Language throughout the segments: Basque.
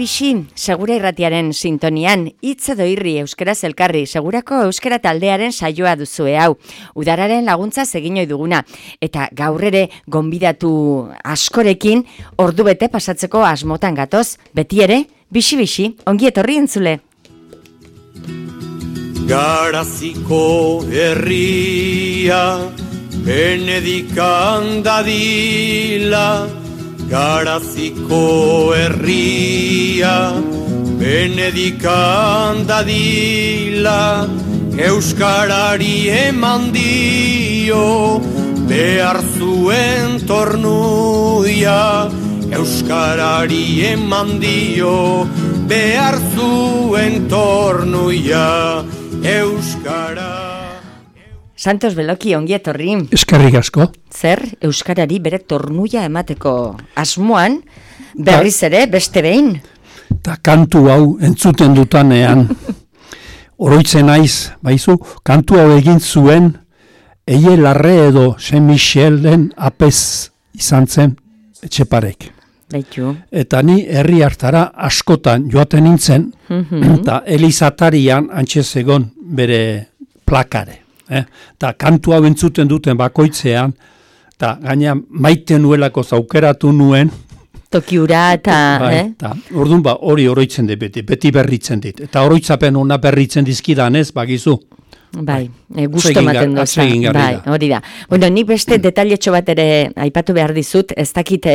Bizi, Segura Irratiaren sintonian, hitz edo irri euskaraz elkarri, Segurako euskara taldearen saioa duzue hau. Udararen laguntza egin ohi duguna eta gaur ere gonbidatu askorekin ordu bete pasatzeko asmotan gatoz. Beti ere, bizi, ongi etorri entzule. Garaziko herria Benedikan dadila, Garaziko herria Benedikan dadila, euskarari eman dio behar zuen tornuia, euskarari eman dio behar zuen tornuia, euskara. Santos Beloki, ongi etorri. Eskerrik asko. Zer, euskarari bere tornuia emateko asmoan, berriz ere, beste behin? Ta kantu hau entzuten dutanean, oroitzen naiz, baizu, kantu hau egin zuen, Eie Larre edo Saint Michelen apez izan zen Etxeparek. Baitu. Eta ni herri hartara askotan joaten nintzen, eta Elizatarian antxezegon bere plakare. Eta kantu hau entzuten duten bakoitzean, eta gaina maite nuelako zaukeratu nuen. Tokiura eta... Orduan hori oroitzen dit beti berritzen dit. Eta oroitzapen ona berritzen dizkidanez, bagizu. Bai, gusto ematen doza. Bai, hori da. Bueno, nik beste detailetxo bat ere aipatu behar dizut, ez dakit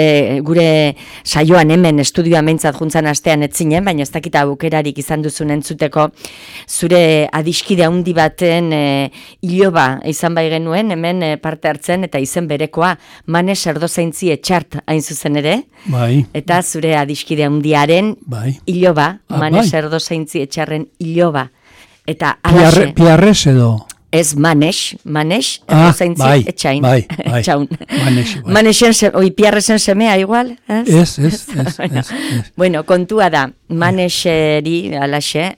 gure saioan hemen estudioa meintzat juntzan astean etzinen, baina ez dakit aukerarik izan duzun entzuteko, zure adiskide handi baten iloba izan bai genuen, hemen parte hartzen, eta izen berekoa, Manes Erdozaintzi Etxart hain zuzen ere, bai. Eta zure adiskide handiaren iloba, Manes Erdozaintzi Etxarren iloba. Eta alaxe... Piarrez edo? Ez Manes, Erdozaintzi Etxain. Bai. Manesen, Piarrezen semea igual? Ez. Bueno, kontua da, Maneseri, alaxe,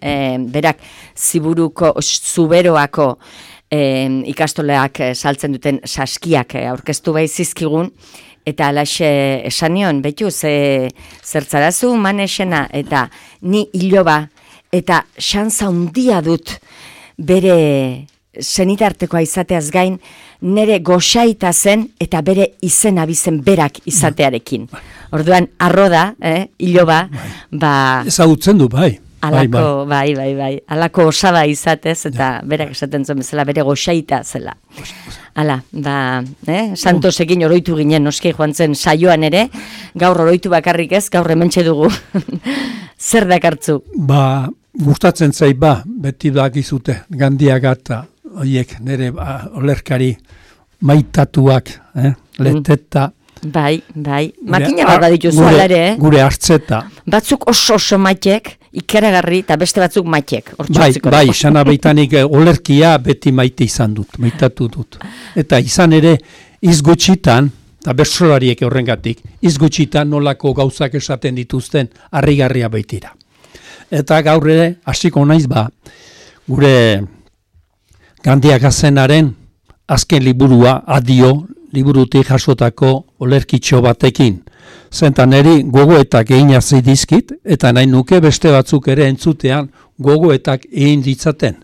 berak, Zuberoako ikastoleak saltzen duten saskiak aurkeztu bai zizkigun, eta alaxe esanion, betu, zertzarazu Manesena, eta ni iloba, eta xantza handia dut bere zenitartekoa izateaz gain, nere goxaita zen eta bere izen abizen berak izatearekin. Orduan, arroda, iloba, ezagutzen du, bai. Alako, bai. Alako osaba izatez, eta berak esaten zuen bezala, bere goxaita zela. Hala, Santosekin oroitu ginen, noski joan zen saioan ere, gaur oroitu bakarrik ez, gaur hementxe dugu. Zer dakartzu? Gustatzen zait beti dakizute, Gandiaga eta horiek nire olerkari maitatuak, leteta. Bai, makina bat badituzu ala ere, Gure hartzeta. Batzuk oso maitek, ikeragarri, eta beste batzuk maitek. Bai, sana baitanik olerkia beti maite izan dut, maitatu dut. Eta izan ere, izgutxitan, eta bersolariek horrengatik, izgutxitan nolako gauzak esaten dituzten harrigarria baitira. Eta gaur ere, hasiko naiz gure Gandiaga zenaren azken liburua, Adio, liburutik jasotako olerkitxo batekin. Zentan eri gogoetak egin dizkit, eta nahi nuke beste batzuk ere entzutean gogoetak egin ditzaten.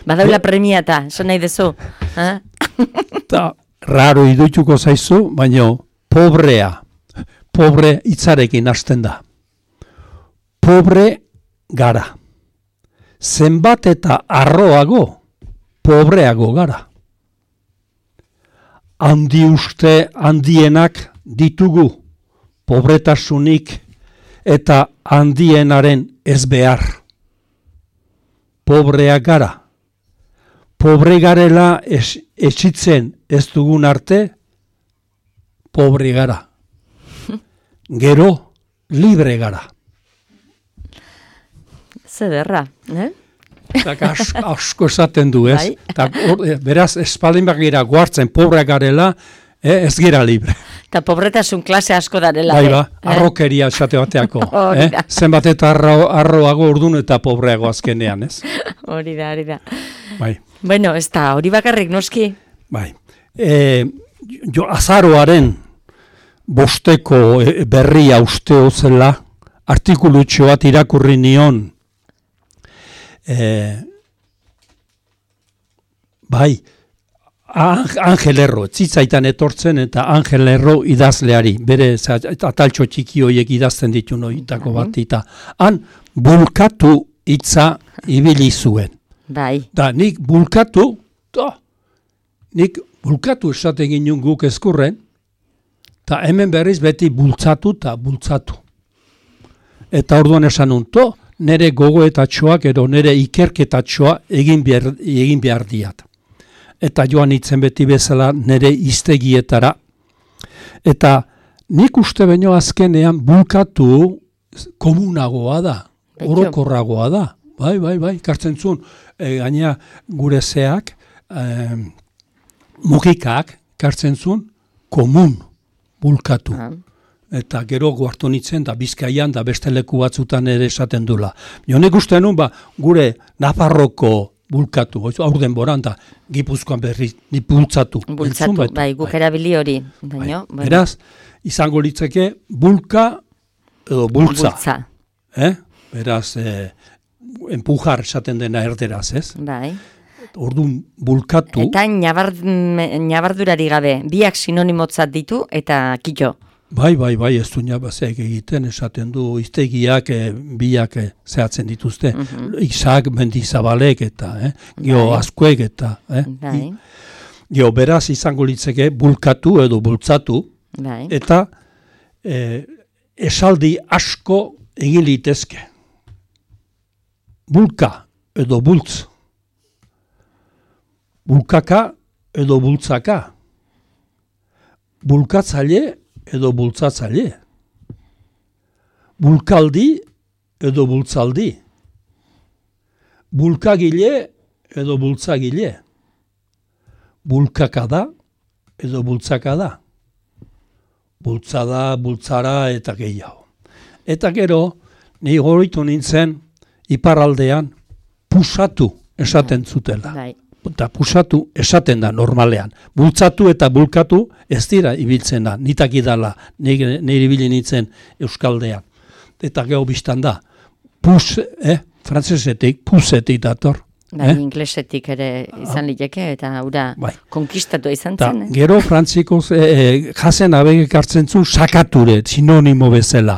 Badaula premia eta, esan nahi dezu. Eta raro idutuko zaizu, baina pobre hitzarekin hasten da. Pobre gara. Zenbat eta arroago, pobreago gara. Handi uste handienak ditugu, pobretasunik eta handienaren ez behar. Pobrea gara. Pobre garela etxitzen ez dugun arte, pobre gara. Gero, libre gara. Zederra, Asko esaten du, ez? Beraz, espaldin bagira guartzen pobre garela, ez gira libre. Eta pobretasun klase asko darela. Arrokeria esate bateako. Zenbat eta arroago urdun eta pobreago azkenean, ez? Hori da. Bai. Bueno, ez da, hori bakarrik noski. Bai. Azaroaren bosteko berria usteo zela, artikulutxo bat irakurri nion, bai, Angel Erro, tzitzaitan etortzen eta Angel Erro idazleari, bere ataltxo txiki horiek idazten ditu noitako bat, eta han bulkatu hitza ibili zuen. Bai. Da, nik bulkatu esaten ginen guk ezkurren, eta hemen berriz beti bultzatu eta bultzatu. Eta orduan esan unto, nire gogoetatxoak edo nire ikerketatxoa egin behar diat. Eta joan itzen beti bezala nire iztegietara. Eta nik uste baino azkenean bulkatu komunagoa da, orokorragoa da. Bai, kartzen zuen, gaina gure zeak, mugikak, kartzen zuen, komun, bulkatu. Eta gero guartu nitzen, da Bizkaian, da beste leku batzutan ere esaten dula. Jonek uste nun, gure Nafarroko bulkatu, aurden boran, da Gipuzkoan berri, ni bultzatu. Bultzatu, bai, guk erabili hori. Baino, beraz, izango litzeke, bulka edo bultza. Beraz, empujar esaten dena erderaz, ez? Bai. Orduan bulkatu. Eta nabardurari gabe, biak sinonimotzat ditu eta kito. Bai, ez du nabazek egiten, esaten du iztegiak biak zehatzen dituzte. Isak, Mendizabalek eta, geo Azkuek eta. Geo beraz izango litzeke bulkatu edo bultzatu. Eta esaldi asko egin litezke. Bulka edo bultz. Bulkaka edo bultzaka. Bulkatzaile edo bultzatzaile. Bulkaldi edo bultzaldi. Bulkagile edo bultzagile. Bulkakada edo bultzakada. Bultzada, bultzara eta gehiago. Eta gero, ni goroitu nintzen, iparraldean pusatu esaten zutela. Eta pusatu esaten da normalean. Bultzatu eta bulkatu ez dira ibiltzen da. Nitak idala, nire ibili nintzen Euskaldean. Eta geho biztan da. Pus, frantzesetik, pusetik dator. Inglesetik ere izan liteke eta hura konkistatu izan zen. Gero frantzikoz jasen abegek hartzen zu sakature, sinonimo bezala.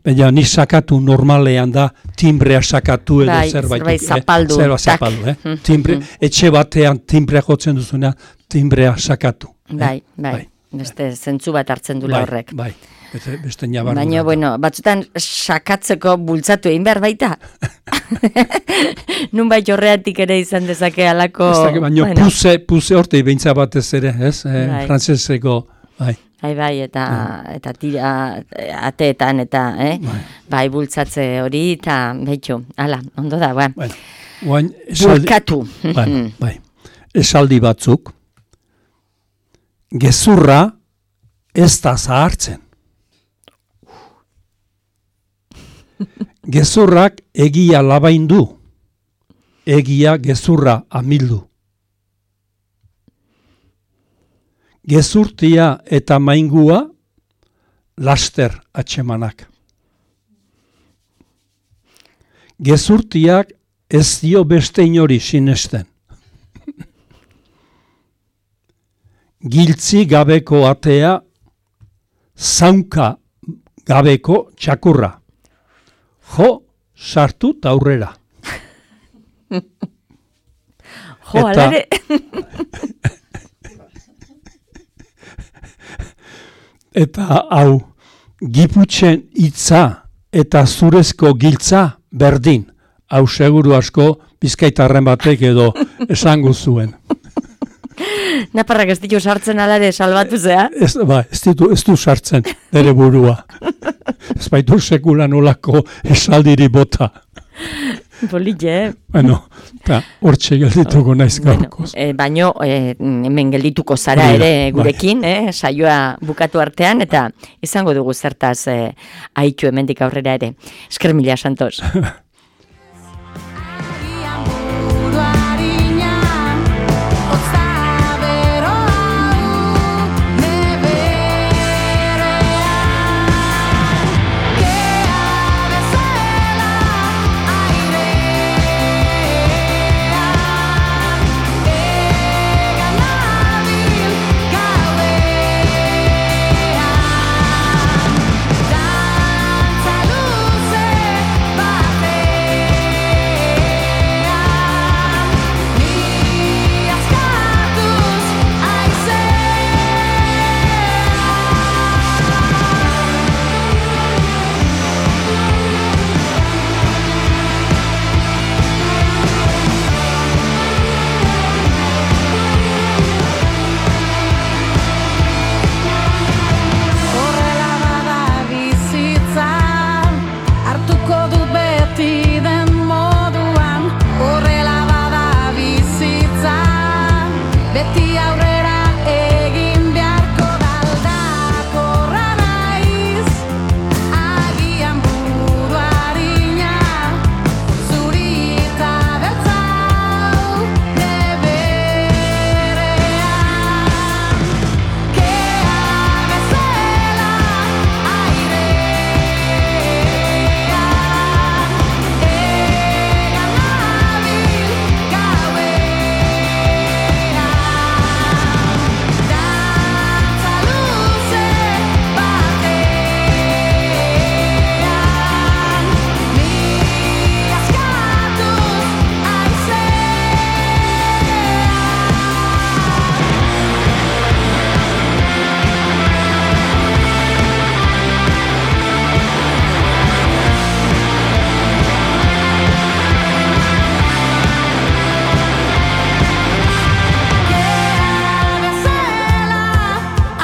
Baina ni sakatu normalean da timbrea sakatu edo zerbait zapaldu. Timbre, etxe batean timbrea jotzen duzuna, timbrea sakatu. Bai. Beste zentzu bat hartzen dula horrek. Bai. Beste nabardura. Baina, batzutan sakatzeko bultzatu egin behar baita. Nunbait horreatik ere izan dezake alako... Baina puse horte ibintza batez ere, ez? Frantzeseko, Bai, eta tira ateetan, eta, bai, bultzatze hori, eta behitxo, ala, ondo da, bulkatu. Bai, esaldi batzuk, gezurra ez da zahartzen. Gezurrak egia labaindu, egia gezurra amildu. Gezurtia eta maingua laster atxemanak. Gezurtiak ez dio beste inori sinesten. Giltzi gabeko atea, zaunka gabeko txakurra. Jo, sartu eta aurrera. Jo, alare. Eta hau, Giputxen hitza eta zurezko giltza berdin. Hau seguru asko bizkaitarren batek edo esango zuen. Naparrak ez ditu sartzen alare salbatu zea? Ez du sartzen, nire burua. Ez baitu sekula nolako esaldiri bota. Politxe, Bueno, hortxe geldituko naiz gaurkoz. Baino, hemen geldituko zara ere gurekin, saioa bukatu artean, eta izango dugu zertaz aitu hemendik aurrera ere. Esker mila, Santos. beti aurrera egin beharko daldakorra naiz, agian buru harina, zurita beltzau deberean, kea bezala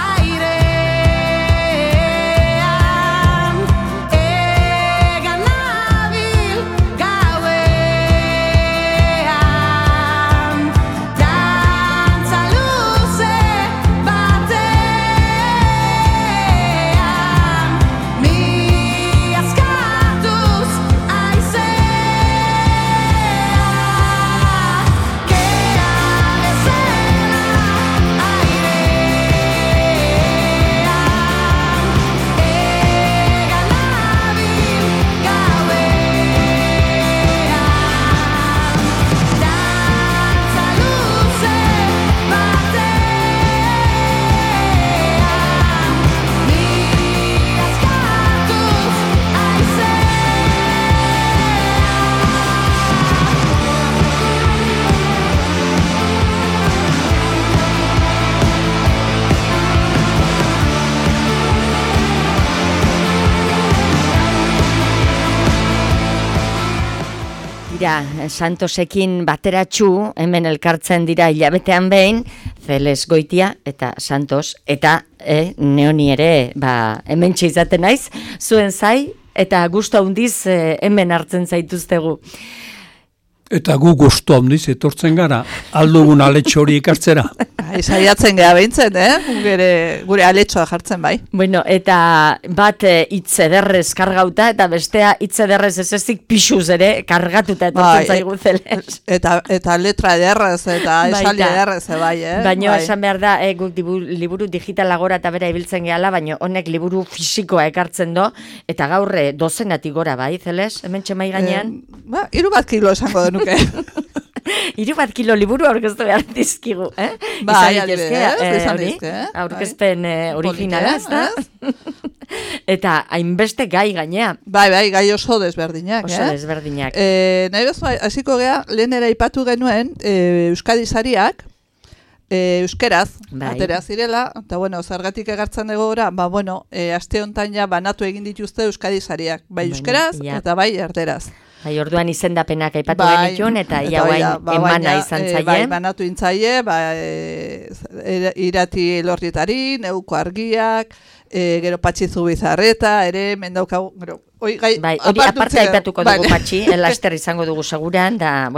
airean, egan nabil gauean, dantza luze batean, ni askatuz Santosekin bateratxu, hemen elkartzen dira hilabetean behin, Feles Goitia eta Santos, eta neoni ere hemen izaten naiz, zuen zai, eta gustu handiz hemen hartzen zaituztegu. Eta gu gustu handiz etortzen gara, aldugun aletxo hori ikartzera. Saiatzen gara behintzen, gure aletxoa jartzen bai. Bueno, eta bat hitz ederrez kargauta, eta bestea hitz ederrez ez ezik pixuz ere kargatuta etortzen zaigu Feles. Eta letra ederrez, eta esaldi ederrez, bai. Baina esan behar da, guk liburu digitalagora eta bera ibiltzen gehala, baina honek liburu fisikoa ekartzen do, eta gaur dozenatik gora, bai, Feles? Hemen txemai gainean? 3 kilo esango denuke. 3 kilo liburu aurkeztu behar dizkigu, Bai, izan dizke, aurkezpen originala, ez da? Eta hainbeste gai gainea. Bai, gai oso desberdinak. Oso desberdinak. Nahi bezu, hasiko gea, lehen ere aipatu genuen Euskadi sariak, euskeraz, atera zirela, eta zergatik egartzen dugu gora, aste hontan ja banatu egin dituzte Euskadi sariak, bai euskeraz eta bai erderaz. Bai, orduan izendapenak aipatu genitun, eta ia emana izan zaie. Bai, banatu intzaie, Irati Elorrietari, Neuko Argiak, gero Patxi Zubizarreta, ere, mendaukagu, gero, hori aparte aipatuko dugu Patxi, laster izango dugu seguran, da,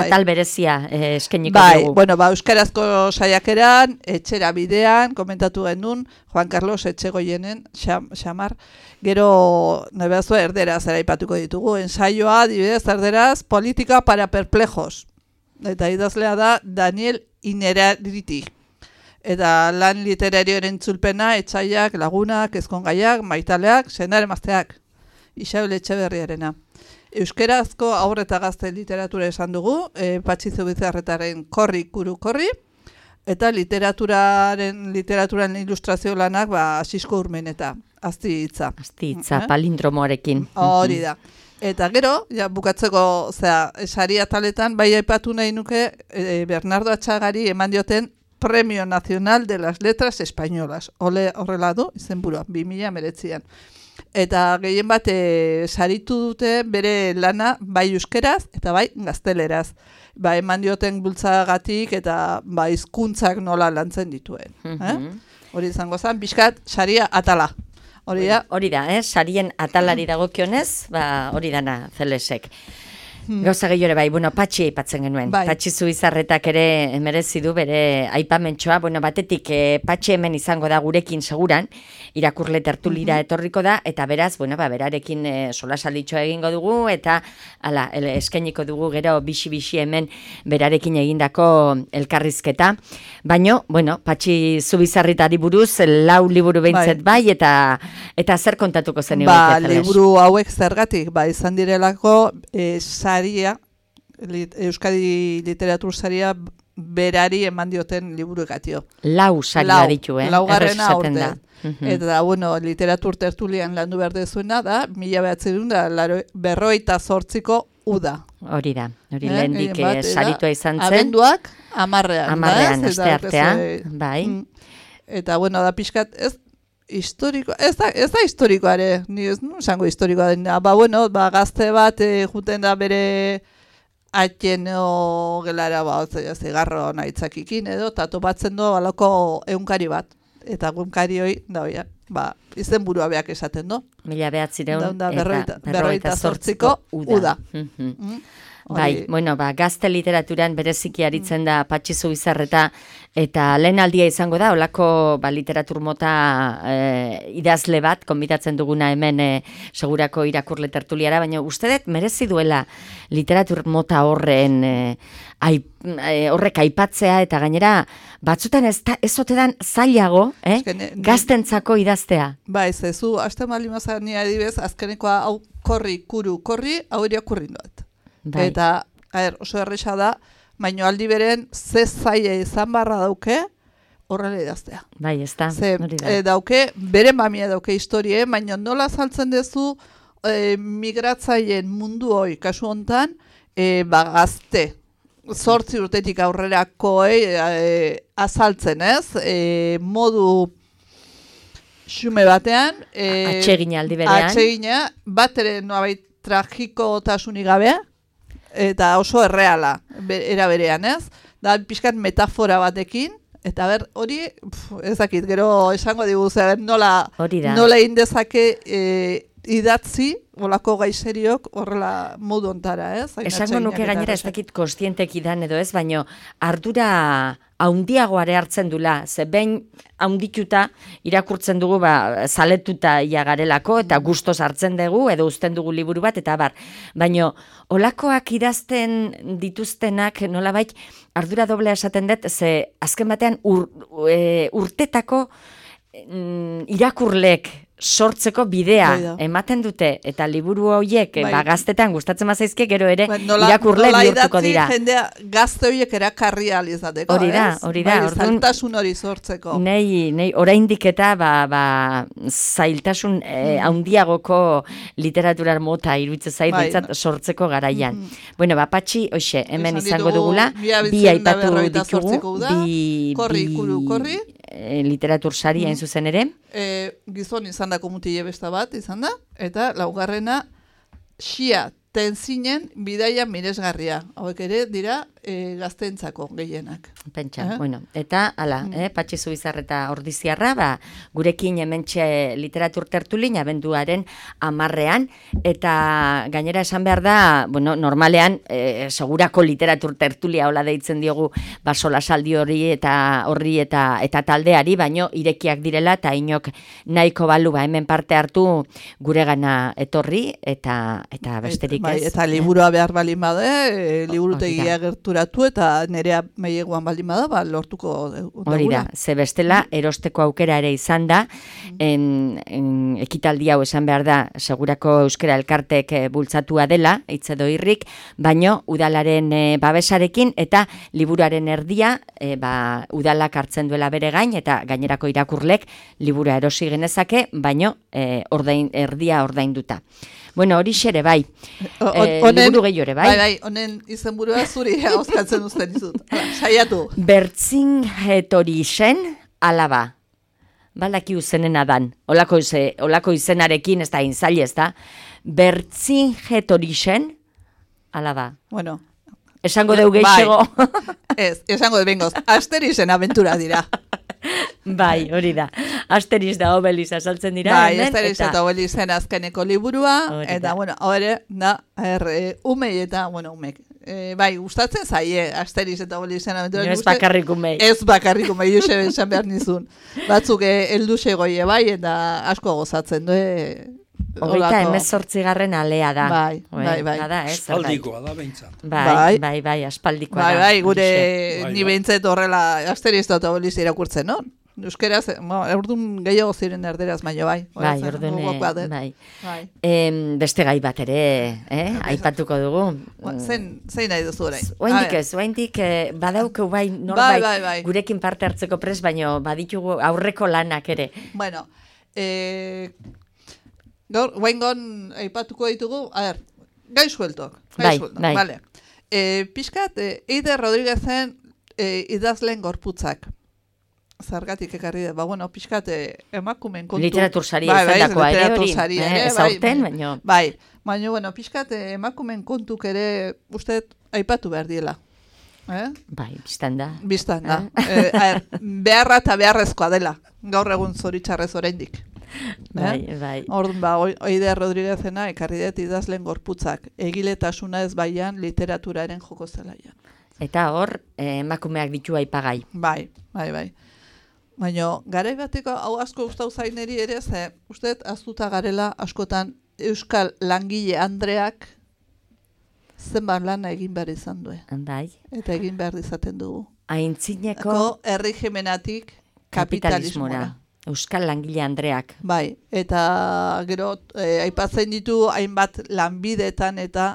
atal berezia eskeniko dugu. Bai, euskarazko saiakeran, etxera bidean, komentatu genuen, Juan Carlos Etxegoienen, xamar, gero, nabeazu, erderaz eraipatuko ditugu, ensaioa, dibidez, erderaz, politika para perplejos. Eta idazlea da Daniel Inerariti. Eta lan literarioaren entzulpena, etxaiak, lagunak, ezkongaiak, maitaleak, senar emazteak. Isabel Etxeberriarena. Euskerazko aurre eta gazte literatura esan dugu, Patxi Zubizarretaren Korri, Kuru, Korri, eta literaturan ilustrazio lanak, Asisko Urmeneta. Azti hitza. Azti hitza, palindromoarekin. Hori da. Eta gero, bukatzeko, sari ataletan, bai aipatu nahi nuke, Bernardo Atxagari eman dioten Premio Nacional de las Letras Españolas. Horrela du, izenburua, 2019an. Eta gehien bat, saritu dute bere lana bai euskeraz eta bai gazteleraz. Eman dioten bultzagatik eta hizkuntzak nola lantzen dituen. Hori izango zen, bizkat, saria atala. Hori da, sarien atalari dagokionez, hori dana Felesek. Gauza gehiore bai, bueno, Patxi aipatzen genuen. Bai. Patxi Zubizarretak ere merezi du bere aipamentxoa. Bueno, batetik Patxi hemen izango da gurekin seguran, irakurle tertulira etorriko da, eta beraz, bueno, berarekin solasalditxoa egingo dugu, eta eskainiko dugu gero bixi hemen berarekin egindako elkarrizketa. Baino, bueno, Patxi Zubizarretari buruz, 4 liburu behintzet bai, eta zer kontatuko zen liburu hauek zergatik, izan direlako saria, Euskadi Literatur Saria berari eman dioten liburuegatio. 4 saria ditu, Laugarrena aurten. Eta, bueno, literatur tertulian landu behar dezuena da, 1958ko uda. Hori da, lehendik saritua izan zen. Abenduak, 10-ean. 10-ean, aste artea, bai. Eta, bueno, da pixkat, historiko, ez da historikoare, ni ez esango historikoa dena, bueno, gazte bat juten da bere atxeno gelara, zigarro nahitzakikin edo, eta topatzen du balako egunkari bat, eta egunkari hoi, izen burua beak esaten du. 1958ko uda. Bai, bueno, gazte literaturan bereziki aritzen da Patxi Zubizarreta, eta lehen aldia izango da, olako literatur mota idazle bat, konbitatzen duguna hemen segurako irakurle tertuliara, baina uste dut merezi duela literatur mota horrek aipatzea, eta gainera batzutan ez otedan zailago, gaztentzako idaztea. Ba, ez zu, haste malimazan nire adibez, azkenekoa hau korri, hau irakurri doat. Bai. Eta, oso erresa da, baino aldi beren ze zaila izan barra dauke horrela idaztea. Bai, ez da. Dauke, bere mamia dauke historie, baino nola saltzen dezu migratzaileen mundu hoi, kasu hontan, gazte, 8 urtetik aurrerakoei azaltzen, ez? Modu xume batean. Atsegina aldi berean. Atsegina, bat ere noabait tragikotasunik gabea, eta oso erreala, era berean, ez? Da, pixkat metafora batekin, eta hori, ez dakit, gero esango digu, nola indezake idatzi, olako gaizeriok horrela modu ontara, ez? Esango nuke gainera ez dakit kostientek idan edo ez, baino ardura haundiagoare hartzen dula, ze behin haundituta irakurtzen dugu zaletuta ia garelako, eta gustos hartzen dugu, edo uzten dugu liburu bat, eta baino olakoak idazten dituztenak nolabait ardura doblea esaten dut, ze azken batean urtetako irakurlek sortzeko bidea ematen dute, eta liburu horiek gaztetan gustatzen mazaizke, gero ere irakurle bihurtuko dira. Jendea gazte horiek erakarri alizateko, hori da. Zailtasun hori sortzeko. Nei oraindik eta zailtasun handiagoko literaturar mota iruditzen zait sortzeko garaian. Bueno, Patxi, hoxe, hemen izango dugula, bi aipatu ditugu, korri, literatur sari hain zuzen ere. Gizon izan dako mutile besta bat, izan da, eta laugarrena xia tenzinen bidaia miresgarria. Hauek ere dira gazteentzako gehienak. Pentsa, bueno, eta Patxi Zubizarreta Ordiziarra, gurekin hementxe literatur tertulin abenduaren 10-ean, eta gainera esan behar da, bueno, normalean segurako literatur tertulia hola deitzen diogu solasaldi hori eta taldeari, baino irekiak direla, eta inok nahiko balu hemen parte hartu guregana etorri, eta besterik ez. Eta liburua behar balin bada, liburutegia gerturatu eta nerea meieguan baldin bada, lortuko dugula. Hori da, ze bestela erosteko aukera ere izan da, ekitaldi hau esan behar da, segurako euskara elkartek bultzatua dela, hitzedo irrik, baino udalaren babesarekin eta liburuaren erdia udalak hartzen duela bere gain, eta gainerako irakurlek libura erosi genezake, baino erdia ordainduta. Bueno, hori xere, bai. Liburu gehiore, bai. Bai, honen izenburua zuri auskatzen uzten dizut. Saiatu. Vercingetorixen alaba. Baldaki uzenena dan. Olako izenarekin, ez da inzaile, ez da. Vercingetorixen alaba. Bueno. Esango deu geixego. Ez, esango de bengoz. Asterixen aventura dira. Bai, hori da. Asterix da Obelix azaltzen dira. Bai, hemen, Asterix eta Obelixen azkeneko liburua, Hori eta, da. bueno, hori, umei eta, bueno, umek. Bai, gustatzen zaie Asterix eta Obelixen abentura. Ez bakarrik umei. Ez bakarrik umei, Josebe esan behar nizun. Batzuk heldu segoie bai, eta asko gozatzen du, Hogeita 18. alea da. Bai, Oi, bai, bai. Bada, ez? Espaldikoa da behintzat. Bai, aspaldikoa Bai, da. bai, gure Bai, ni bai. behintzet horrela Asterix eta Obelix irakurtzen, no? Euskeraz, orduan gehiago ziren erderaz, baino bai. Bai, Zen, orduan, gogokoa dut. bai. Bai. Beste gai bat ere, aipatuko dugu. Zein nahi duzu orain? Oaindik badaukeu bai norbait bai. gurekin parte hartzeko prest, baino baditugu aurreko lanak ere. Bueno, gaur, guaingon aipatuko ditugu, gai sueltok. Bai. Vale. Pixkat, Eider Rodríguezen idazleen gorputzak. Zergatik ekarri da, bueno, pixkat emakumen kontu. Literatur saria izandakoa ere hori, literatur saria ere, ez aurten, baino. Bai, baina, bueno, pixkat emakumen kontuk ere uste aipatu behar diela. Bai, biztan da. Bistan da. Beharra eta beharrezkoa dela. Gaur egun zoritxarrez oraindik. Bai. Orduan, Eider Rodríguezena ekarri dut idazleen gorputzak. Egiletasuna ez baian literaturaren joko zelaian. Eta hor, emakumeak ditu aipagai. Bai. Baina, garai bateko hau asko gustau zaineri ere, ze usteet aztuta garela askotan euskal langile andreak zenbat lana egin behar izan du. Bai. Eta egin behar izaten dugu. Aintzineko erregimenatik kapitalismora. Euskal langile andreak. Bai, eta gero aipatzen ditu hainbat lanbideetan eta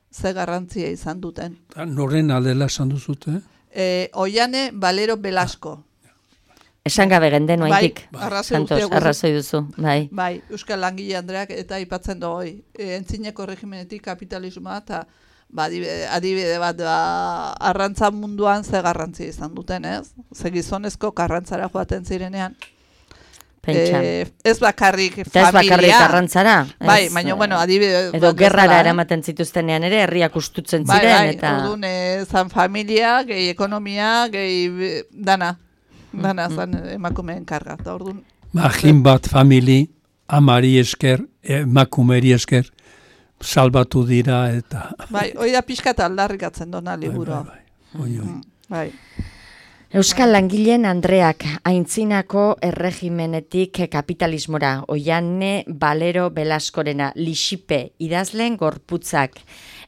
ze garrantzia izan duten. Noren aldela esan duzute? Oiane Valero Velasco. Esan gabe genden oaitik. Arrazoi duzu. Bai. Bai, Euskal langile andreak eta aipatzen du hoi. Entzineko regimenetik kapitalismoa eta adibide bat arrantza munduan ze garrantzia izan duten, ez? Ze gizonezko karrantzara joaten zirenean. Pentsa. Ez bakarrik Eta ez bakarrik familia. arrantzara. Bai, baina, bueno, adibide... Edo gerrara eramaten zituztenean ere, herriak ustutzen ziren. Bai, eta orduan zan familia, gehi ekonomia, gehi dana zan emakumeen karga. Eta orduan... Magin bat famili, amari esker, emakumeri esker, salbatu dira eta... Bai, hoi da pixkat aldarrikatzen dona liburua. Bai. Euskal langileen andreak aintzinako erregimenetik kapitalismora, Oiane Valero Velascorena, Lixipe idazleen gorputzak,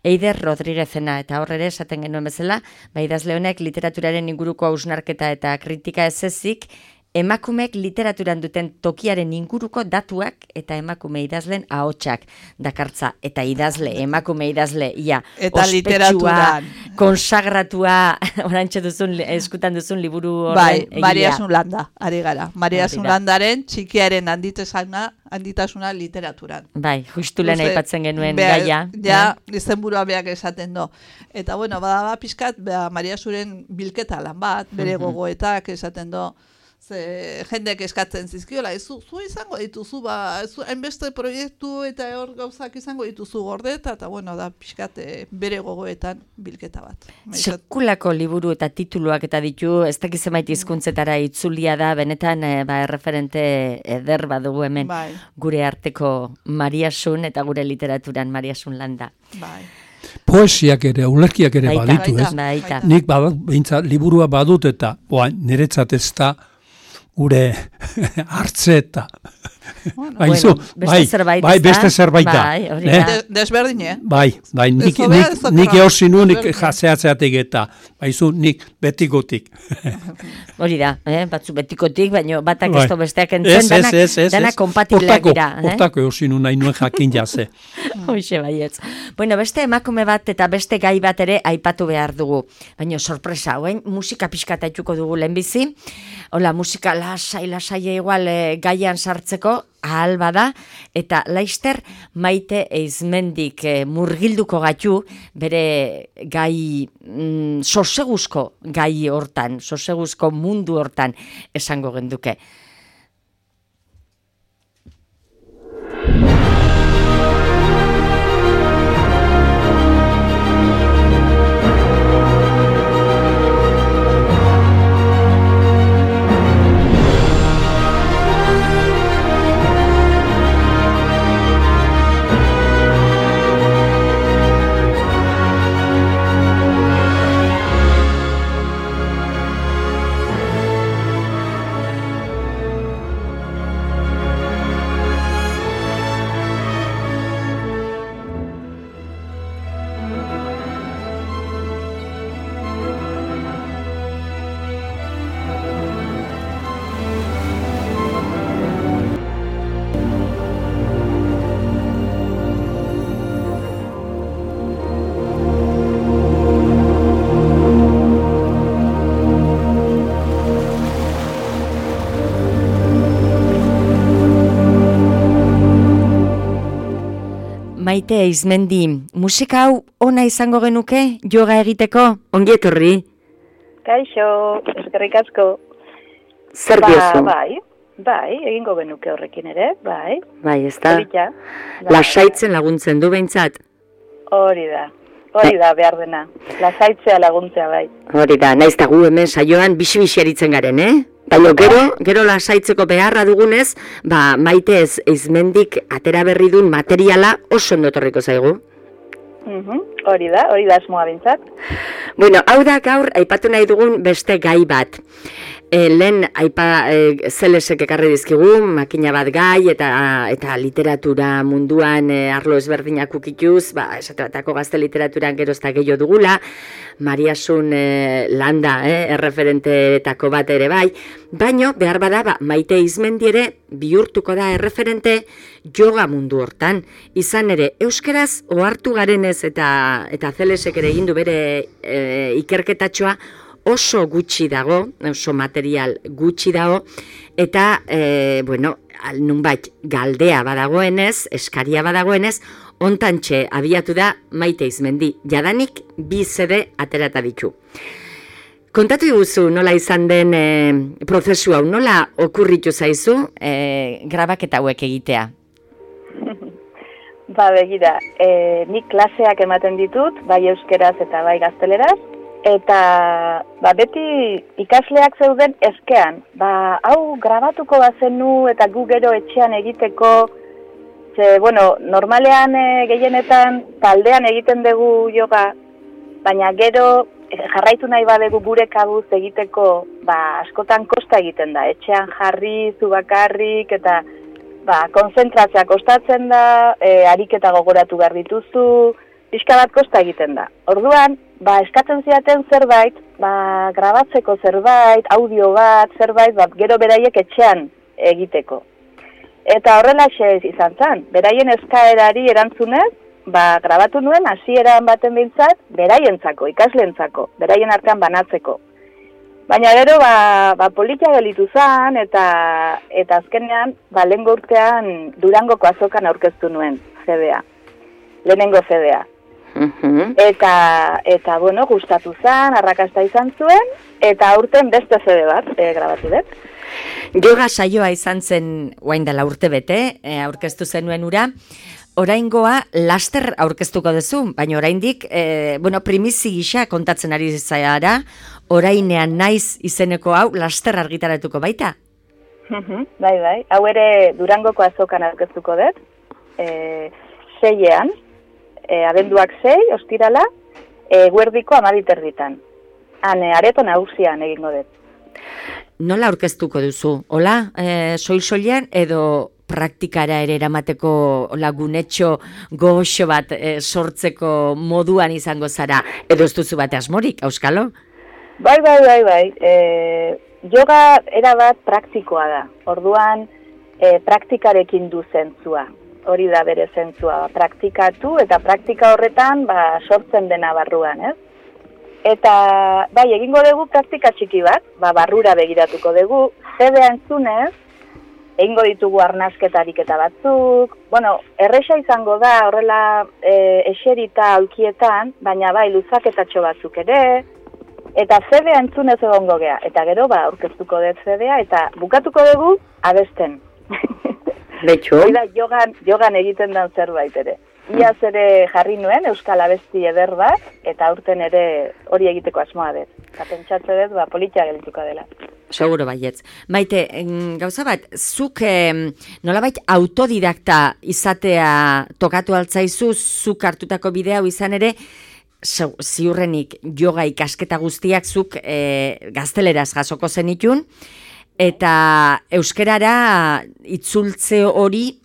Eider Rodríguezena, eta horre esaten genuen bezala, idazle honek literaturaren inguruko hausnarketa eta kritika ez ezik, emakumeek literaturan duten tokiaren inguruko datuak eta emakume idazleen ahotsak dakartza. Eta idazle, emakume idazle, ia, eta literaturan. Konsagratua, orantxe duzun, eskutan duzun liburu horren egia. Bai, Maria Sunlanda, ari gara. Maria Sunlandaren txikiaren handitasuna literaturan. Bai, justu lehen aipatzen genuen gaia. Ja, izenburua beak esaten do. Eta, bueno, bada pixkat, Maria Suren bilketa lan bat, bere gogoetak esaten do. Jendeak eskatzen zizkiola, zu izango dituzu, hainbeste proiektu eta hor gauzak izango dituzu gordeta, eta bueno, da pixkat bere gogoetan bilketa bat. Sekulako liburu eta tituluak eta ditu, ez dakiz emaiti hizkuntzetara itzulia da, benetan erreferente eder badugu hemen, gure arteko Maria Sun eta gure literaturan Maria Sunlanda. Bai. Poesiak ere, ulerkiak ere baditu, ez? Baita. Nik behintzat liburua badut eta niretzat ez da gure hartzeta. Beste zerbait da. Desberdin, Bai, nik eosin nu, nik jaseatzeatik eta, baizu, nik betikotik. Hori da, batzu betikotik, baina batak ez besteak entzen, dana kompatibleak dira. Hortako eosin nu nahi nuen jakin jase. Hoxe baietz. Bueno, beste emakume bat eta beste gai bat ere aipatu behar dugu. Baina sorpresa, hauen musika pixkata itxuko dugu lehenbizi. Hola, musika lasai igual gaian sartzeko, ahal bada, eta laister Maite Eizmendik murgilduko gaitu bere gai soseguzko gai hortan, soseguzko mundu hortan esango genduke. Maite Izmendi, musika hau ona izango genuke yoga egiteko? Ongi etorri. Kaixo, eskerrik asko. Zer diozu? Bai, egingo genuke horrekin ere, bai. Bai, ez da. Polita. Lasaitzen laguntzen du behintzat. Hori da behar dena. Lasaitzea laguntzea, bai. Hori da, naiz da gu hemen saioan bixi-bixi aritzen garen, Baina gero lasaitzeko beharra dugunez, Maite Izmendik atera berri duen materiala oso ondo etorriko zaigu. Hori da asmoa bintzat. Bueno, hau da gaur aipatu nahi dugun beste gai bat. Lehen zelesek ekarri dizkigu, makina bat gai eta literatura munduan arlo ezberdinak ukituz, esate batako gazte literaturan gerozta gehiago dugula, Mariasun Landa, erreferenteetako bat ere bai, baino behar bada Maite Izmendi ere bihurtuko da erreferente yoga mundu hortan. Izan ere, euskeraz ohartu garenez eta zelesek ere egin du bere ikerketatxoa, oso gutxi dago, oso material gutxi dago, eta, nunbait galdea badagoenez, eskaria badagoenez, ontantxe abiatu da Maite Izmendi. Jadanik 2 CD aterata ditu. Kontatu iguzu nola izan den prozesu hau, nola okurritu zaizu grabaketa hauek egitea? Begira, nik klaseak ematen ditut, bai euskeraz eta bai gazteleraz, eta beti ikasleak zeuden eskean. Hau grabatuko bazenu eta gu gero etxean egiteko, normalean gehienetan taldean egiten dugu yoga, baina gero jarraitu nahi badegu gure kabuz egiteko, askotan kosta egiten da. Etxean jarri, zu bakarrik, eta konzentratzea kostatzen da, ariketa gogoratu behar dituzu, pixka bat kosta egiten da. Orduan, eskatzen zidaten zerbait, grabatzeko zerbait, audio bat, zerbait, gero beraiek etxean egiteko. Eta horrelaxe izan zen, beraien eskaerari erantzunez, grabatu nuen hasieran baten bintzat, beraientzako, ikasleentzako, beraien artean banatzeko. Baina gero, politia gelitu zen, eta azkenean, lehengo urtean Durangoko azokan aurkeztu nuen, CD-a. Lehenengo CD-a. Eta gustatu zen, arrakasta izan zuen, eta aurten beste CD bat grabatu dut. Yoga saioa izan zen orain dela urte bete, aurkeztu zenuen ura. Oraingoa laster aurkeztuko duzu, baina oraindik, primizi gisa kontatzen ari zara, orainean naiz izeneko hau laster argitaratuko baita. Bai, hau ere Durangoko azokan aurkeztuko dut, 6ean, abenduak 6, ostirala, guerdiko 12:30. Areto nagusian egingo dut. Nola aurkeztuko duzu? Hola, soil-soilean edo praktikara ere eramateko lagunetxo goxo bat sortzeko moduan izango zara, edo ez duzu bat asmorik, auskalo? Bai. Yoga erabat praktikoa da. Orduan, praktikarekin du zentzua. Hori da bere zentzua, praktikatu eta praktika horretan sortzen dena barruan, ez? Eta, egingo dugu praktika txiki bat, barrura begiratuko dugu, CD-a entzunez, egingo ditugu arnasketarik eta batzuk, erresa izango da, horrela eserita aulkietan, baina luzaketatxo batzuk ere, eta CD-a entzunez egongo gea, eta gero aurkeztuko dut CD-a, eta bukatuko dugu abesten. Betxo? Hori da jogan egiten den zerbait ere. Iaz ere jarri nuen Euskal Abesti eder bat, eta aurten ere hori egiteko asmoa dut. Eta pentsatze dut, politia gelituko dela. Seguro baietz. Maite, gauza bat, zuk nolabait autodidakta izatea tokatu altzaizu, zuk hartutako bidea izan ere, ziurrenik yoga ikasketa guztiak zuk gazteleraz jasoko zenitun, eta euskerara itzultze hori,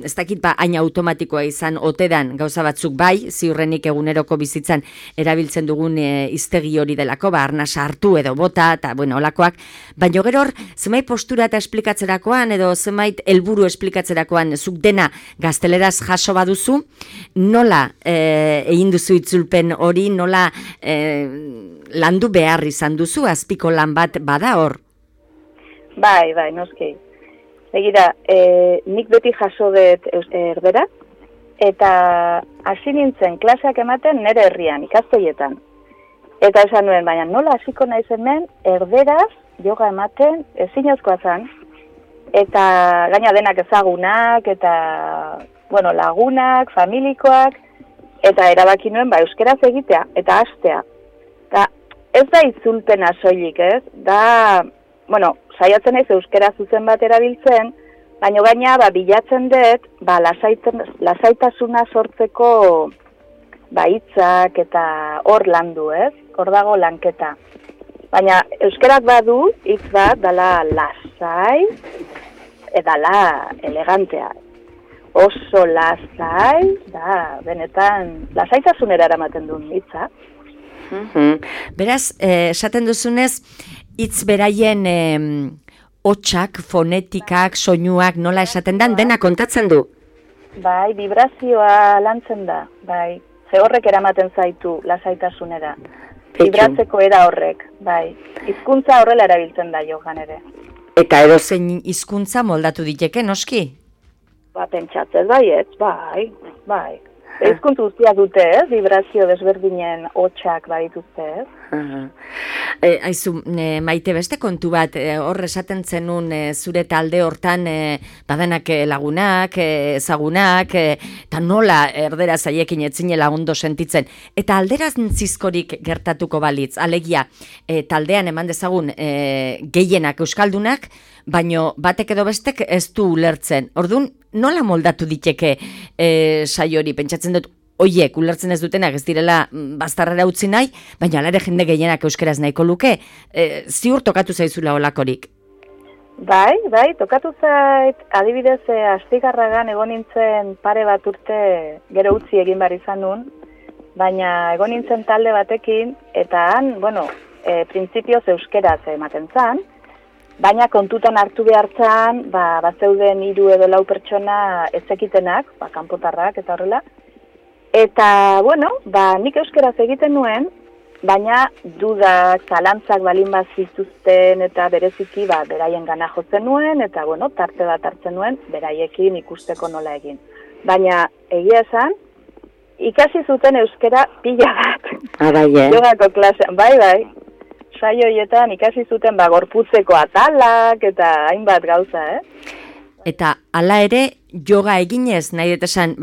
ez dakit hain automatikoa izan otedan gauza batzuk bai, ziurrenik eguneroko bizitzan erabiltzen dugun hiztegi hori delako, arnasa hartu edo bota, eta olakoak, baina gero hor, zemait postura eta esplikatzerakoan, edo zemait helburu esplikatzerakoan zuk dena gazteleraz jaso baduzu, nola egin duzu itzulpen hori, nola landu behar izan duzu, azpiko lan bat bada hor? Bai, noski. Begira, nik beti jaso dut erderaz, eta hasi nintzen klaseak ematen nire herrian, ikastoietan. Eta esan nuen, baina nola hasiko naiz hemen, erderaz, yoga ematen, ezinezkoa zen, eta gaina denak ezagunak, eta, bueno, lagunak, familikoak, eta erabaki nuen, euskeraz egitea, eta hastea. Eta ez da itzulpena soilik, ez? Da, bueno, saiatzen naiz euskera zuzen bat erabiltzen, baina gaina, bilatzen dut, lasaitasuna sortzeko, hitzak eta hor landu, ez? Hor dago lanketa. Baina euskerak badu, hitz bat, dala lasai, edala elegantea. Oso lasai, da, benetan, lasaitasunera eramaten duen hitza. Beraz, esaten duzunez, hitz beraien hotsak, fonetikak, soinuak, nola esaten dan, dena kontatzen du. Bai, vibrazioa lantzen da, bai. Ze horrek eramaten zaitu lasaitasunera. Vibratzeko era horrek, bai. Hizkuntza horrela erabiltzen da jogan ere. Eta edozein hizkuntza moldatu diteke, noski? Pentsatzez baietz, bai. Hizkuntza guztiak dute, vibrazio desberdinen hotsak badituzte, Aizu, Maite, beste kontu bat, hor esaten zenun zure talde hortan badenak lagunak, ezagunak, eta nola erdera zaiekin etzinela ondo sentitzen. Eta alderantzizkorik gertatuko balitz, alegia, taldean eman dezagun gehienak euskaldunak, baino batek edo bestek ez du ulertzen. Orduan, nola moldatu diteke saio hori? Pentsatzen dut, oiek ulertzen ez dutenak ez direla baztarrera utzi nahi, baina alare jende gehienak euskeraz nahiko luke, ziur tokatu zaizula olakorik. Bai, tokatu zait, adibidez, Astigarragan egon nintzen pare bat urte gero utzi egin bar izan nun, baina egon nintzen talde batekin, eta han, printzipioz euskeraz ematen zan, baina kontutan hartu behartzan, bazeuden 3 edo 4 pertsona ezekitenak, kanpotarrak eta horrela. Eta, nik euskeraz egiten nuen, baina dudak, zalantzak balin bat zituzten eta bereziki beraien gana jotzen nuen, eta, tarte bat hartzen nuen, beraiekin ikusteko nola egin. Baina, egia esan, ikasi zuten euskera pila bat. Jogako klasean, bai. Saio horietan ikasi zuten gorputzeko atalak eta hainbat gauza, Eta hala ere, yoga eginez, nahi dut esan,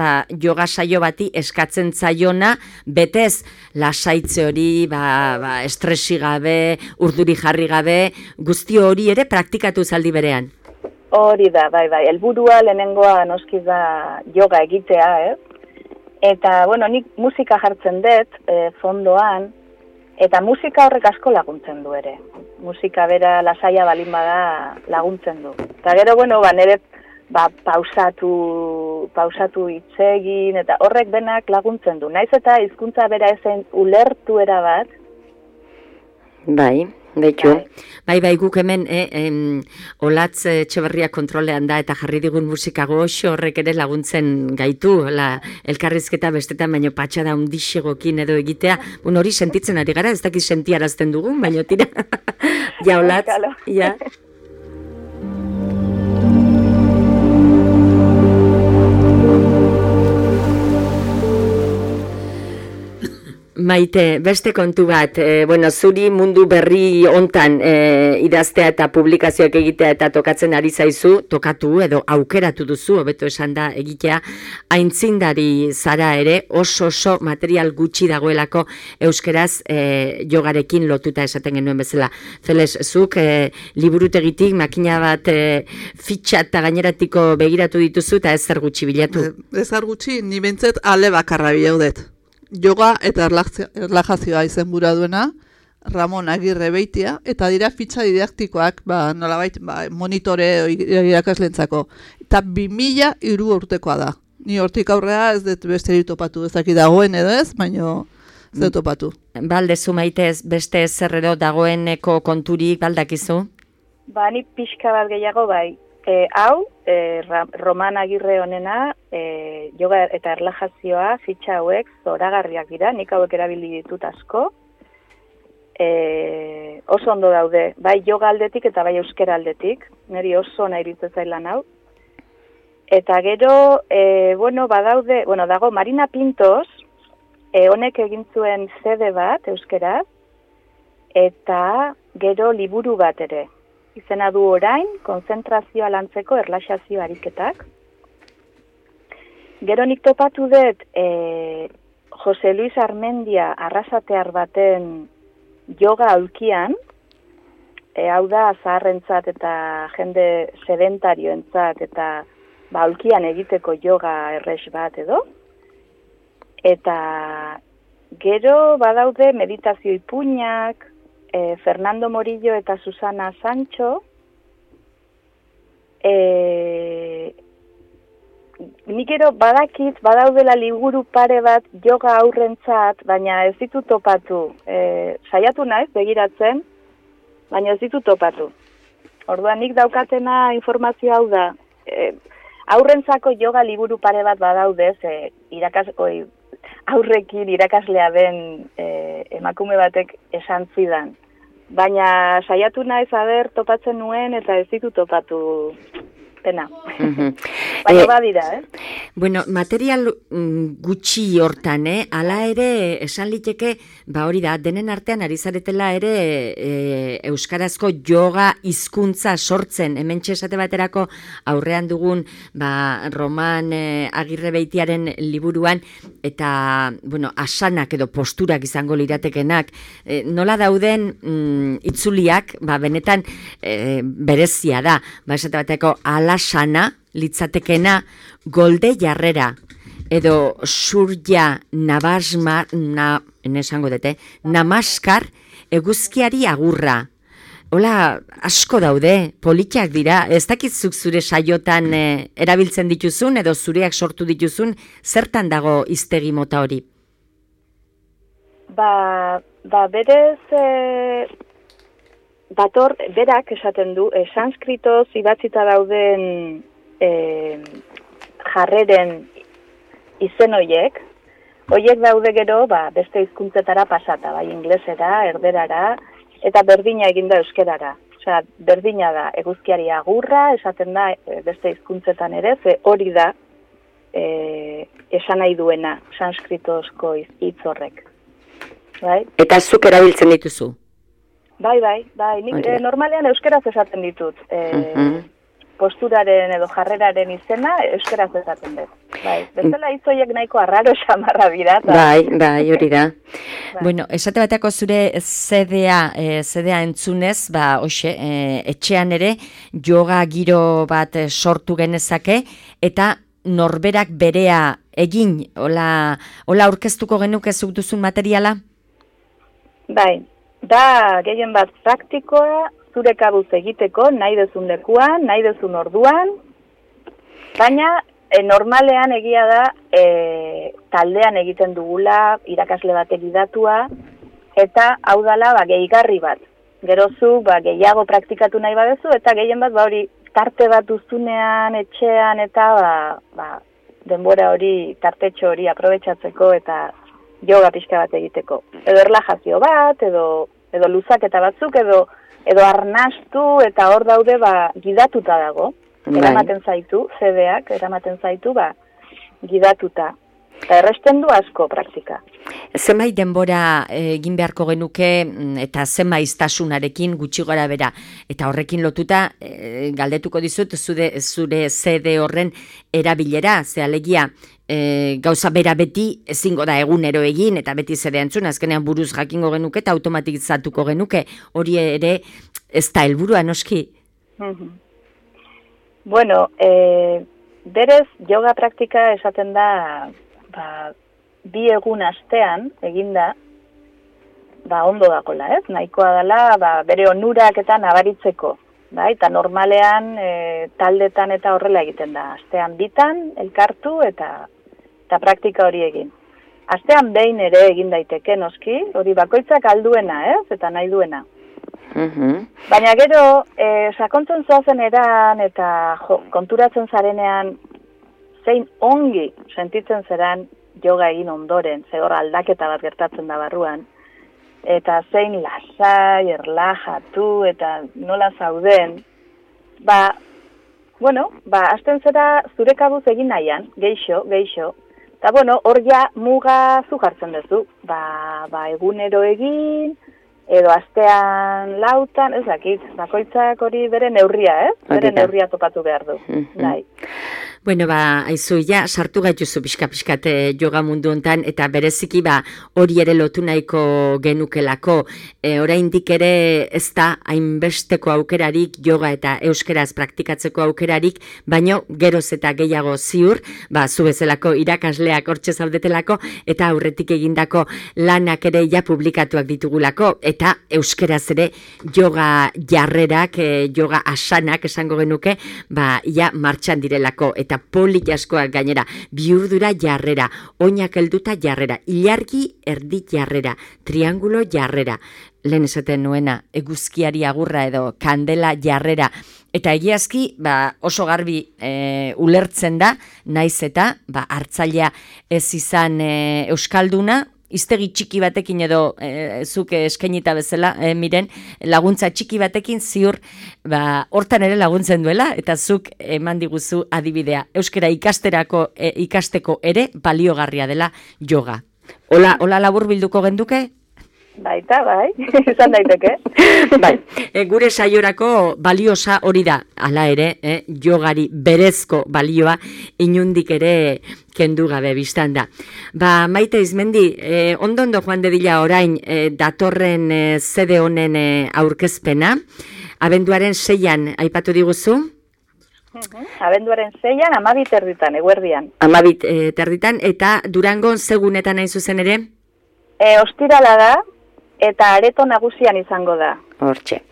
yoga saio bati eskatzen zaiona, betez lasaitze hori, estresi gabe, urduri jarri gabe, guzti hori ere praktikatu zaldi berean. Hori da, bai, helburua lehenengoa noski da yoga egitea, Eta, nik musika jartzen dut, fondoan, eta musika horrek asko laguntzen du ere. Musika bera lasaia balin bada laguntzen du. Eta gero, nire pausatu hitz egin, eta horrek benak laguntzen du. Naiz eta hizkuntza bera ezen ulertu erabat. Bai, beitu. Bai, guk hemen Olatz Etxeberria kontrolean da eta jarri digun musika goxo horrek ere laguntzen gaitu, elkarrizketa bestetan baino patxada hundixegokin edo egitea, hori sentitzen ari gara, ez dakit sentiarazten dugun, baino tira. Ja, Olatz, ja. Maite, beste kontu bat, zuri mundu berri hontan idaztea eta publikazioak egitea eta tokatzen ari zaizu, tokatu edo aukeratu duzu, hobeto esan da egitea, aintzindari zara ere, oso material gutxi dagoelako euskeraz jogarekin lotuta esaten genuen bezala. Zeles, zuk liburutegitik makina bat fitxa eta gaineratiko begiratu dituzu eta ezer gutxi bilatu. Ezer gutxi, ni bentzet ale bakarra bilaudet. Yoga eta erlajazioa izenbura duena, Ramon Agirre Beitia, eta dira fitxa didaktikoak, nolabait, monitore irakaslentzako. Eta 2003 urtekoa da. Ni hortik aurrea ez dut beste topatu, ezaki dagoen edo ez, baino ez dut topatu. Baldezu Maite, beste zerrero dagoeneko konturik baldakizu? Ni pixka bat gehiago bai. Hau, Roman Agirre honena, yoga eta erlajazioa, fitxa hauek zoragarriak dira, nik hauek erabili ditut asko. Oso ondo daude, bai yoga aldetik eta bai euskera aldetik, niri oso nahi iruditzen zailan hau. Eta gero, badaude, dago Marina Pintos, honek egin zuen CD bat, euskeraz, eta gero liburu bat ere. Izena du orain, konzentrazioa lantzeko erlaxazio ariketak. Gero nik topatu dut, Jose Luis Armendia arrasatear baten yoga aulkian, hau da zaharrentzat eta jende sedentarioentzat eta aulkian egiteko yoga errex bat edo. Eta gero badaude meditazio ipuinak, Fernando Morillo eta Susana Sancho, nik gero badakit, badaudela liburu pare bat yoga aurrentzat, baina ez ditut topatu. Saiatu naiz begiratzen, baina ez ditut topatu. Orduan nik daukatena informazio hau da, aurrentzako yoga liburu pare bat badaude, aurrekin irakaslea den emakume batek esan zidan. Baina saiatu naiz topatzen nuen eta ez ditut topatu pena. Baina badira, Bueno, material gutxi hortan, ala ere esan liteke, hori da, denen artean ari zaretela ere euskarazko yoga hizkuntza sortzen, hementxe esate baterako aurrean dugun Roman Agirrebeitiaren liburuan, eta, asanak edo posturak izango liratekenak, nola dauden itzuliak, benetan berezia da, esate bateko alasana, litzatekena golde jarrera, edo surja namaskar eguzkiari agurra. Hola, asko daude, politak dira, ez dakitzuk zure saiotan erabiltzen dituzun, edo zureak sortu dituzun, zertan dago hiztegi mota hori? Berez, berak esaten du, sanskritoz idatzita dauden jarreren izen hoiek daude gero, beste hizkuntzetara pasata, inglesera, erderara, eta berdina eginda euskerara. Osea, berdina da, eguzkiari agurra, esaten da beste hizkuntzetan ere, ze hori da esan nahi duena, sanskritozko hitz horrek. Bai? Eta zuk erabiltzen dituzu? Bai, nik normalean euskeraz esaten ditut. Posturaren edo jarreraren izena euskeraz esaten dut. Bezala hitzoiek nahiko arraro xamarra dira. Bai, hori da. Bueno, esate bateako zure CD-a entzunez, etxean ere yoga giro bat sortu genezake, eta norberak berea egin, hola aurkeztuko genuke zuk duzun materiala? Bai, da gehien bat praktikoa, zure kabuz egiteko, nahi duzun lekuan, nahi duzun orduan, baina normalean egia da taldean egiten dugula, irakasle bat egidatua, eta hau dala gehigarri bat. Gerozu gehiago praktikatu nahi badezu, eta gehien bat hori tarte bat duzunean, etxean, eta denbora hori, tartetxo hori aprobetxatzeko, eta yoga pixka bat egiteko. Edo erlajazio bat, edo luzaketa batzuk, edo arnastu, eta hor daude gidatuta dago. Eramaten zaitu, CD-ak, eramaten zaitu gidatuta. Eta erresten du asko praktika. Zenbait denbora egin beharko genuke eta zenbaiztasunarekin gutxi gora bera. Eta horrekin lotuta galdetuko dizut zure CD horren erabilera, ze alegia gauza bera beti ezingo da egunero egin eta beti zere entzun, azkenean buruz jakingo genuke eta automatizatuko genuke. Hori ere ez da helburua noski? Bueno, berez yoga praktika esaten da 2 egun astean eginda, ondo dakola, ez? Nahikoa dela, bere onurak eta nabaritzeko, eta normalean taldetan eta horrela egiten da. Astean 2 elkartu eta praktika hori egin. Astean behin ere egin daiteke noski, hori bakoitzak alduena, ez? Eta nahi duena. Baina gero, sakontzen zoazen eran eta konturatzen zarenean, zein ongi sentitzen zeran yoga egin ondoren, ze hor aldaketa bat gertatzen da barruan, eta zein lasai, erlajatu, eta nola zauden, bueno, hasten zera zure kabuz egin nahian, geixo. Eta, bueno, hor ja muga zu jartzen duzu. Egunero egin, edo astean lautan, ez dakit, bakoitzak hori bere neurria, Bere neurria topatu behar du. Bai. Bueno, aizu, sartu gaituzu pixka-pixkat yoga mundu hontan, eta bereziki hori ere lotu nahiko genukelako. Oraindik ere ez da hainbesteko aukerarik yoga eta euskeraz praktikatzeko aukerarik, baino geroz eta gehiago ziur, zu bezalako irakasleak hortxe zaudetelako, eta aurretik egindako lanak ere publikatuak ditugulako, eta euskeraz ere yoga jarrerak, yoga asanak esango genuke, martxan direlako, eta polit askoak gainera, bihurdura jarrera, oinak helduta jarrera, ilargi erdi jarrera, triangulo jarrera, lehen esaten nuena, eguzkiari agurra edo kandela jarrera, eta egiazki oso garbi ulertzen da, naiz eta hartzailea ez izan euskalduna, iztegi txiki batekin edo zuk eskainita bezala, miren, laguntza txiki batekin ziur, hortan ere laguntzen duela, eta zuk eman diguzu adibidea. Euskara ikasteko ere baliogarria dela yoga. Hola labur bilduko genduke? Baita, izan daiteke. Gure saiorako baliosa hori da, hala ere, yogari berezko balioa inundik ere kendu gabe biztan da. Maite Izmendi, ondo joan dedila orain datorren zede honen aurkezpena, abenduaren 6an aipatu diguzu? Abenduaren 6an, 12:00 eguerdian. 12:00 eta Durangon segunetan hain zuzen ere? Ostirala da, eta areto nagusian izango da. Hortxe.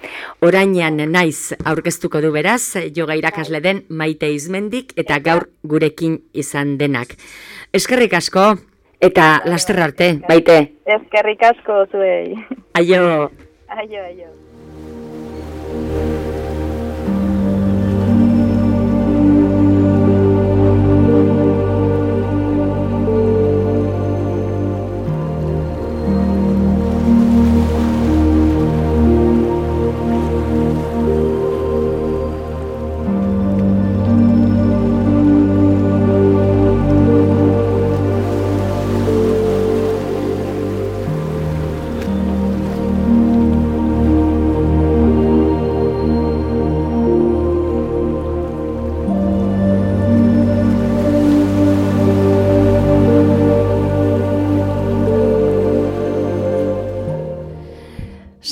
Orainean naiz aurkeztuko du beraz, yoga irakasle den Maite Izmendik, eta gaur gurekin izan denak. Eskerrik asko, eta laster arte, Maite. Eskerrik asko zuei. Aio. Aio.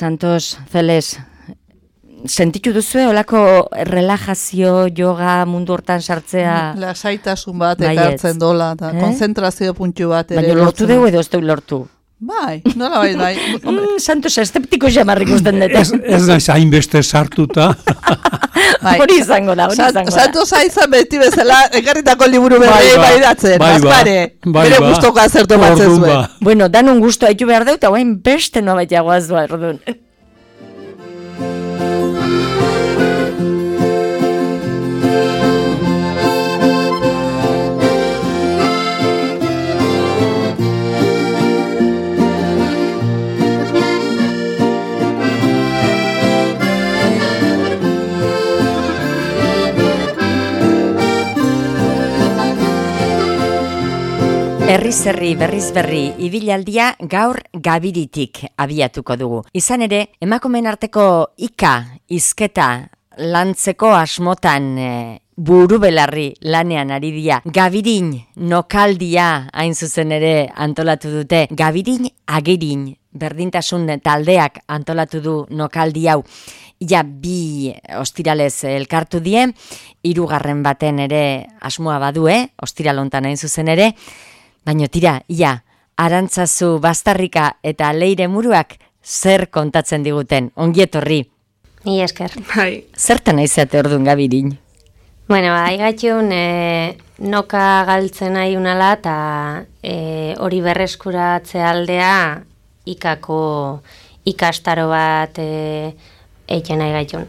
Santos, Zeles, sentitu duzue olako relajazio, yoga mundu hortan sartzea? Lasaitasun bat ekartzen dola, eta konzentrazio puntu bat. Baina lortu dugu edo ez du lortu? Bai, nola bai. Santos, esteptiko jamarrik usten dut. Ez naiz hainbeste sartuta. Hori izango da. Santos haizan beti bezala, ekarritako liburu berri baidatzen. Bere guztoka zertu batzen zuen. Bueno, danun guztu haitu behar dut, hauen beste noa baitagoaz doa, erdun. Herri berriz berri, ibilaldia gaur Gabiritik abiatuko dugu. Izan ere, emakumeen arteko hizketa lantzeko asmotan buru belarri lanean ari dira. Gabirin nokaldia hain zuzen ere antolatu dute. Gabirin agirin berdintasun taldeak antolatu du nokaldi hau. Ja, 2 ostiralez elkartu die, 3. baten ere asmoa badue, ostiralontan hain zuzen ere. Baina tira, Arantzazu, Bastarrika eta Leire Muruak zer kontatzen diguten, ongietorri. Ni esker. Zertan aizate orduan Gabirin? Bueno, aigatxun noka galtzen nahi unala eta hori berreskuratze aldea ikako ikastaro bat eiken aigatxun.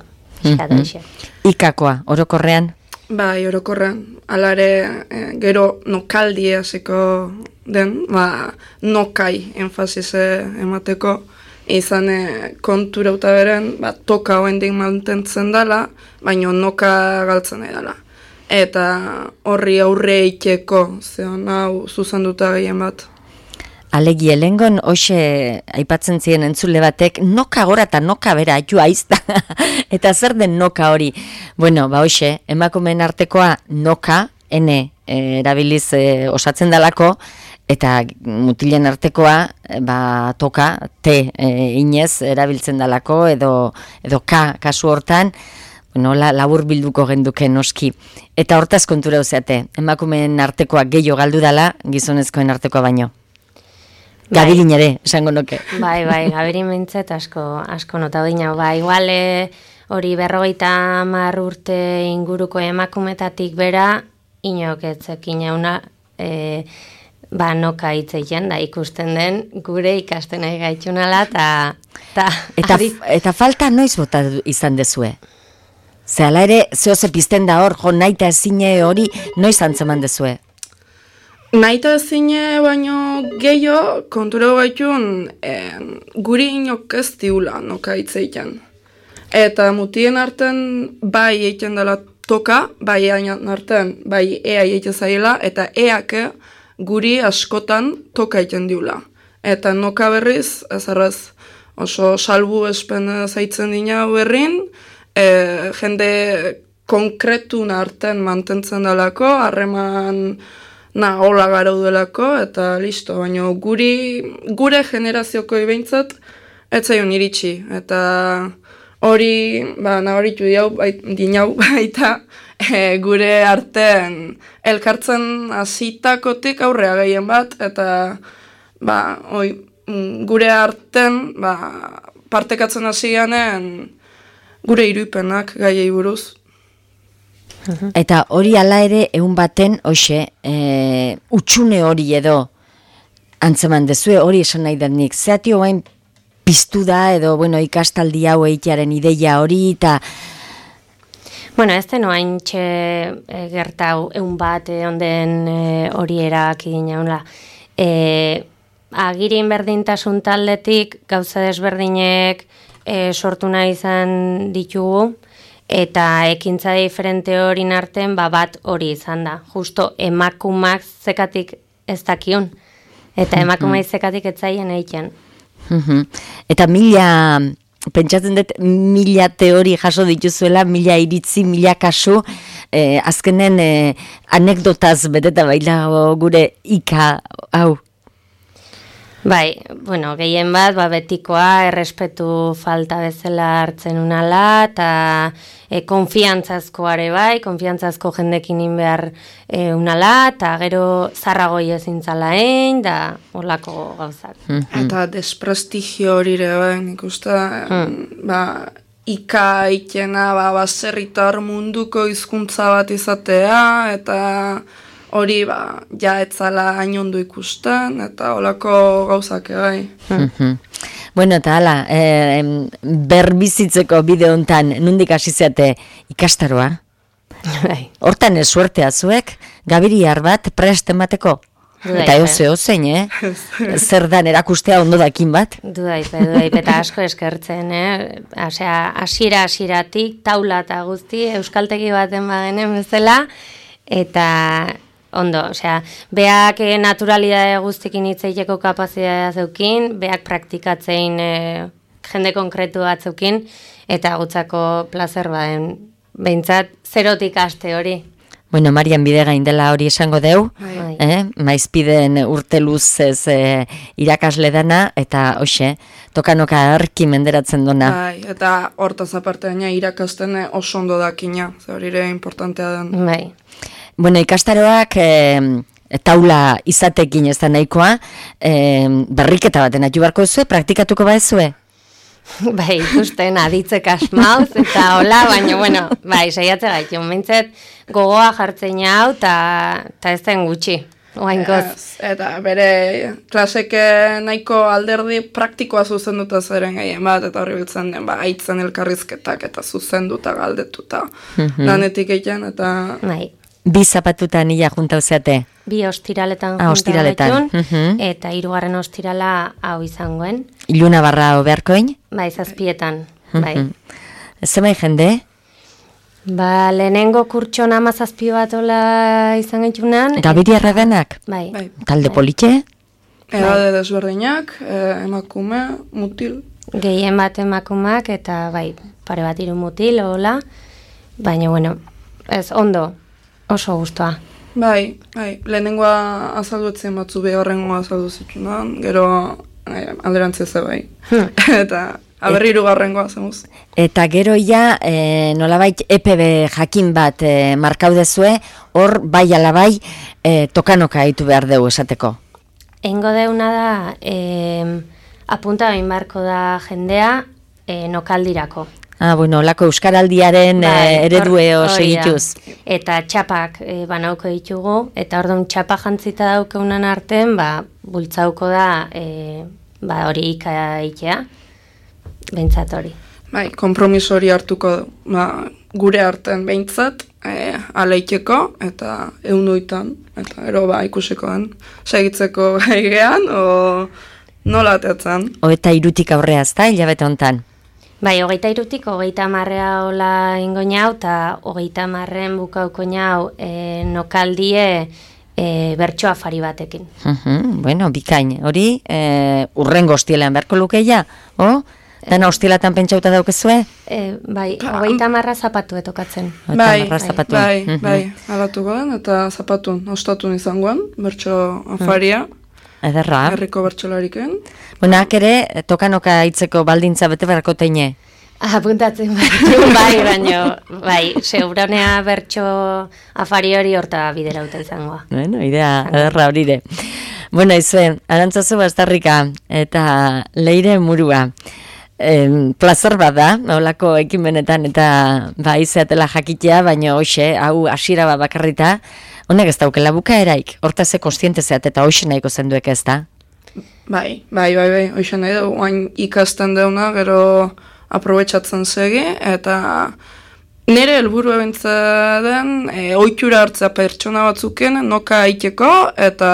Ikakoa, orokorrean? Bai, orokorrean. Alare, gero nokaldi hasiko den, nokai enfasize emateko, izan konturauta beren, toka hoendik mantentzen dela, baina noka galtzen nahi dela. Eta horri aurre iteko, zeon hau zuzenduta gehien bat. Alegi helengon, hoxe aipatzen ziren entzule batek, noka gora eta noka bera, joa izta. Eta zer den noka hori? Bueno, hoxe, emakumeen artekoa noka, erabiliz osatzen dalako, eta mutilen artekoa, toka, inez erabiltzen dalako, edo kasu hortan, bueno, labur bilduko genduke noski. Eta hortaz kontura uzeate, emakumeen artekoa gehiago galdu dala, gizonezkoen artekoa baino. Gabirin ere, esango noke. Bai, gabirin mintzet asko nota baina. Igual hori 50 urte inguruko emakumetatik bera, inok etzekin jauna, noka hitzeiten da ikusten den, gure ikasten nahi gaitxunala, eta falta noiz bota izan dezue? Zehala ere, zehoze pizten da hor, jo naita ezine hori, noiz antzeman dezue? Naita ezine baino gehiago kontura gaitun guri inok ez diula noka hitzeiten. Eta mutien arten bai egiten dela toka, bai arten bai ea egiten zaila, eta eake guri askotan toka egiten diula. Eta noka berriz, ez arraz, oso salbu espen zaitzen dina berrin, jende konkretun arten mantentzen dalako, harreman hola garaudelako, eta listo, baina gure generazioko behintzat ez zaion iritsi, eta hori, nabaritu dinau baita, gure artean elkartzen hasitakotik aurrea gehien bat, eta gure artean partekatzen hasi ganen gure iruipenak gaiei buruz. Eta hori ala ere egun baten, hoxe, utxune hori edo antzeman dezue, hori esan nahi den nik. Zeati hoain piztu da edo, ikastaldi hau eitearen ideia hori, eta... Bueno, ez den oain gertau egun bat onden hori erak egin jaunla. Agirin berdintasun taldetik gauza desberdinek sortu nahi izan ditugu, eta ekintza diferente hori arten bat hori izan da. Justo emakumak zekatik ez dakion. Eta emakumai zekatik ez zaien egiten. Eta pentsatzen dut 1000 teori jaso dituzuela, 1000 iritzi, 1000 kasu, azkenen anekdotaz beteta baila gure ika hau. Bai, gehien bat, betikoa, errespetu falta bezala hartzen unala, eta konfiantzazkoare bai, konfiantzazko jendekin behar unala, eta gero zarragoi ezintzala egin, da holako gauzak. Eta desprestigio hori ere bai, nik uste, ika ikena, baserritar munduko hizkuntza bat izatea, eta... hori, etzala hain ondo ikusten, eta holako gauzak bai. Bueno, eta hala, berbizitzeko bide hontan, nondik hasi zeate ikastaroa? Hortan suertea zuek, gabiriar bat prest emateko? Eta ozein, zer dan erakustea ondo dakin bat? Dudaip, eta asko eskertzen, hasieratik, taula eta guzti, euskaltegi baten bagenen bezala, eta... Ondo, beak naturalidade guztikin hitzeiteko kapazitatea zeukin, beak praktikatzein jende konkretu bat zeukin, eta gutzako plazer baden, behintzat, zerotik aste hori. Bueno, Marian Bidegain dela hori esango deu, maizpiden urte luzez irakasle dana, eta hoxe, tokanoka arki menderatzen dona. Bai, eta hortaz aparte baina irakasten oso ondo dakina, hori ere importantea den. Bai. Bueno, ikastaroak taula izatekin ez da nahikoa, berriketa baten atu barko zue, praktikatuko baezue? Bai, ikusten aditzek asmauz, eta hola, baina, saiatze gaitu, mintzet gogoa jartzen hau, eta ez den gutxi. Eta bere klaseke nahiko alderdi praktikoa zuzenduta zeren gehien bat, eta horri biltzen den, aitzen elkarrizketak eta zuzenduta galdetuta lanetik egiten, eta... Bai. Bi zapatutan ia juntau zeate. Bi ostiraletan Ostiraletan. junta eta 3. ostirala hau izangoen. Iluna barra obearkoin. Bai, 7etan. Bai. Zemai jende? Ba, lehenengo kurtson 17 bat ola izan gaitunan. Gabiriarra denak? Bai. Bai. Talde politxe? Edade desberdinak, emakume, mutil. Gehien bat emakumak eta bai, pare bat 3 mutil, hola. Baina, bueno, ez ondo, oso gustoa. Bai, lehenengoa azaldu etzen batzu horrengoa azaldu zitunan, gero alderantzez bai. Eta aberri 3. zemuz. Eta gero ja, nolabait EPB jakin bat markaudezue, hor bai alabai tokanoka ditu behar dugu esateko. Eingo deuna da, apunta bain barko da jendea nokaldirako. Bueno, lako euskaraldiaren eredue segituz. Eta txapak banauko ditugu, eta orduan txapa jantzita daukeunan arten, bultzauko da hori ikaitea, behintzat hori. Bai, kompromiso hori hartuko gure arten behintzat, aleiteko eta 100, eta gero ikusiko den, segitzeko gaigean, o nola ateatzen. Eta 3 aurrea ezta, hilabete hontan. Bai, 23-tik 30 hola ingoinau, eta 30 bukauko nau nokaldie bertso afari batekin. Bueno, bikain, hori urrengo hostielean beharko lukeia, Dana hostielatan pentsauta daukezue? Bai, 30 zapatu etokatzen. Bai, alatuko den, eta zapatun, ostatun izangoan, bertso afaria. Ederra. Herriko bertsolariken. Buenak ere, tokanoka hitzeko baldintza bete beharko teine. Apuntatzen baino, seguronea bertso afari hori horta biderauta izangoa. Bueno, idea, ederra horire. Bueno, izue, Arantzazu Bastarrika eta Leire Murua. Plazer bat da, holako ekimenetan eta izeatela jakitea, baina hoxe, hau hasiera bat bakarrita, honek ez daukela bukaeraik, hortaz kontziente zeat eta hoxe nahiko zenduek ez da? Bai, hoxe nahi da, oain ikasten deuna, gero aprobetsatzen segi, eta nire helburu ebintza den, ohitura hartzea pertsona batzuken, noka aiteko, eta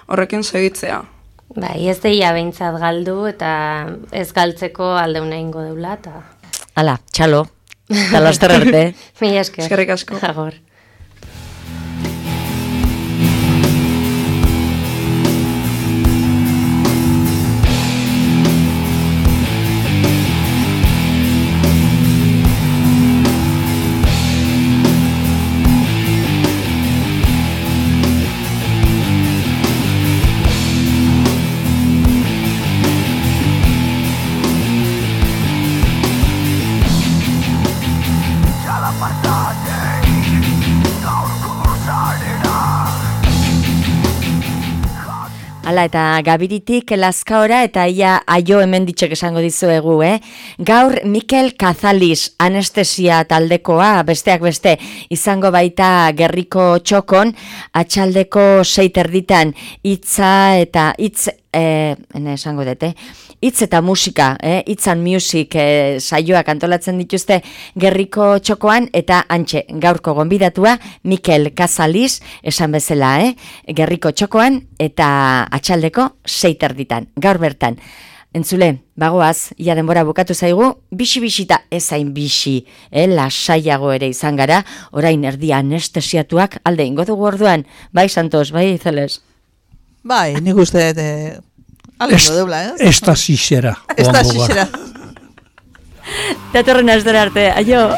horrekin segitzea. Bai, ez deia behintzat galdu eta ez galtzeko aldeuna ingo deula eta... Hala, txalo, eta laster arte. Mila esker. Eskerrik asko. Agor. Hala, eta Gabiritik Lazkaora eta ia aio hemen ditxek esango dizuegu, Gaur Mikel Kazaliz anestesia taldekoa, besteak beste, izango baita Gerriko Txokon, atxaldeko 6:30 hitza eta hitz eta musika, Hitz and Music saioak antolatzen dituzte Gerriko Txokoan, eta antxe, gaurko gonbidatua Mikel Kazaliz, esan bezala, Gerriko Txokoan, eta atxaldeko 6:30, gaur bertan. Entzule, bagoaz, ia denbora bukatu zaigu, bixi-bixita ezain bixi, lasaiago ere izan gara, orain erdia anestesiatuak alde ingo dugu orduan, bai Santos, bai Izeles? Bai, nik uste alengo deula, Estasixera. Estasixera. Datorren astera arte, aio!